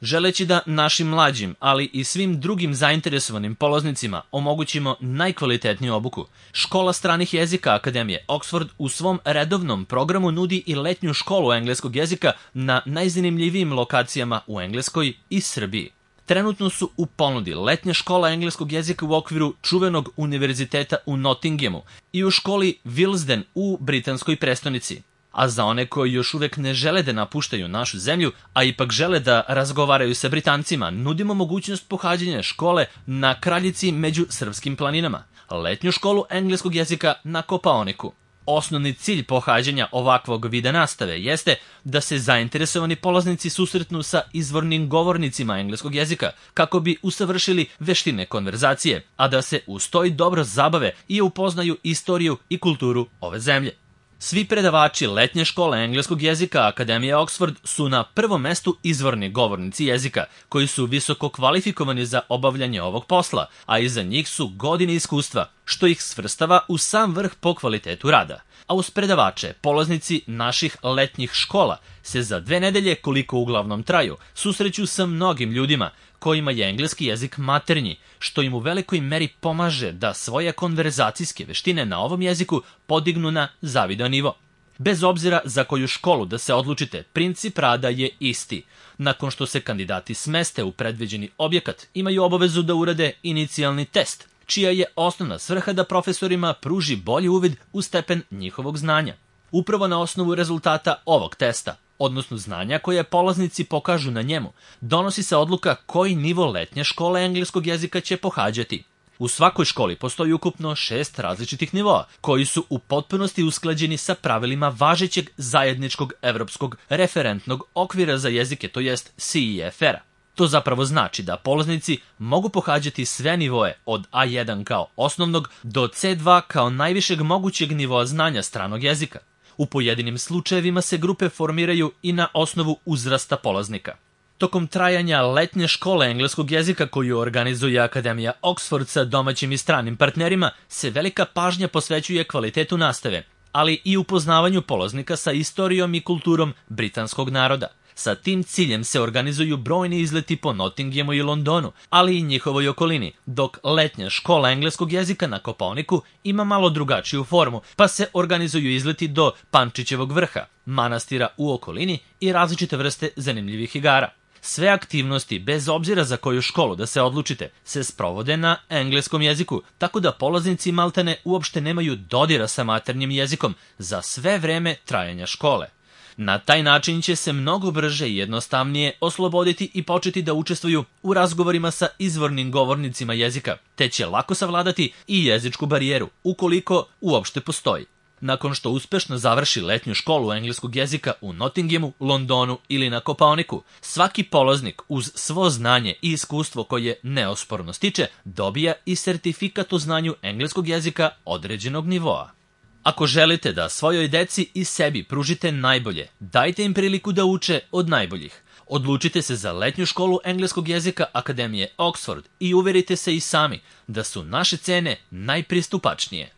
Želeći da našim mlađim, ali i svim drugim zainteresovanim polaznicima omogućimo najkvalitetniju obuku, Škola stranih jezika Akademije Oxford u svom redovnom programu nudi i letnju školu engleskog jezika na najzanimljivijim lokacijama u Engleskoj i Srbiji. Trenutno su u ponudi letnja škola engleskog jezika u okviru čuvenog univerziteta u Nottinghamu i u školi Willesden u britanskoj prestonici. A za one koji još uvek ne žele da napuštaju našu zemlju, a ipak žele da razgovaraju sa Britancima, nudimo mogućnost pohađanja škole na Kraljici među srpskim planinama, letnju školu engleskog jezika na Kopaoniku. Osnovni cilj pohađanja ovakvog vida nastave jeste da se zainteresovani polaznici susretnu sa izvornim govornicima engleskog jezika kako bi usavršili veštine konverzacije, a da se uz to i dobro zabave i upoznaju istoriju i kulturu ove zemlje. Svi predavači letnje škole engleskog jezika Akademije Oxford su na prvom mestu izvorni govornici jezika, koji su visoko kvalifikovani za obavljanje ovog posla, a iza njih su godine iskustva, što ih svrstava u sam vrh po kvalitetu rada. A uz predavače, polaznici naših letnjih škola se za 2 nedelje, koliko uglavnom traju, susreću sa mnogim ljudima kojima je engleski jezik maternji, što im u velikoj meri pomaže da svoje konverzacijske veštine na ovom jeziku podignu na zavidan nivo. Bez obzira za koju školu da se odlučite, princip rada je isti. Nakon što se kandidati smeste u predviđeni objekat, imaju obavezu da urade inicijalni test, čija je osnovna svrha da profesorima pruži bolji uvid u stepen njihovog znanja. Upravo na osnovu rezultata ovog testa, odnosno znanja koje polaznici pokažu na njemu, donosi se odluka koji nivo letnje škole engleskog jezika će pohađati. U svakoj školi postoji ukupno 6 različitih nivoa, koji su u potpunosti usklađeni sa pravilima važećeg zajedničkog evropskog referentnog okvira za jezike, to jest CEFR-a. To zapravo znači da polaznici mogu pohađati sve nivoe od A1 kao osnovnog do C2 kao najvišeg mogućeg nivoa znanja stranog jezika. U pojedinim slučajevima se grupe formiraju i na osnovu uzrasta polaznika. Tokom trajanja letnje škole engleskog jezika koju organizuje Akademija Oxford sa domaćim i stranim partnerima se velika pažnja posvećuje kvalitetu nastave, ali i upoznavanju polaznika sa istorijom i kulturom britanskog naroda. Sa tim ciljem se organizuju brojni izleti po Nottinghamu i Londonu, ali i njihovoj okolini, dok letnja škola engleskog jezika na Kopaoniku ima malo drugačiju formu, pa se organizuju izleti do Pančićevog vrha, manastira u okolini i različite vrste zanimljivih igara. Sve aktivnosti, bez obzira za koju školu da se odlučite, se sprovode na engleskom jeziku, tako da polaznici maltene uopšte nemaju dodira sa maternjim jezikom za sve vreme trajanja škole. Na taj način će se mnogo brže i jednostavnije osloboditi i početi da učestvuju u razgovorima sa izvornim govornicima jezika, te će lako savladati i jezičku barijeru, ukoliko uopšte postoji. Nakon što uspešno završi letnju školu engleskog jezika u Nottinghamu, Londonu ili na Kopaoniku, svaki polaznik uz svo znanje i iskustvo koje neosporno stiče, dobija i sertifikat o znanju engleskog jezika određenog nivoa. Ako želite da svojoj deci i sebi pružite najbolje, dajte im priliku da uče od najboljih. Odlučite se za letnju školu engleskog jezika Akademije Oxford i uverite se i sami da su naše cene najpristupačnije.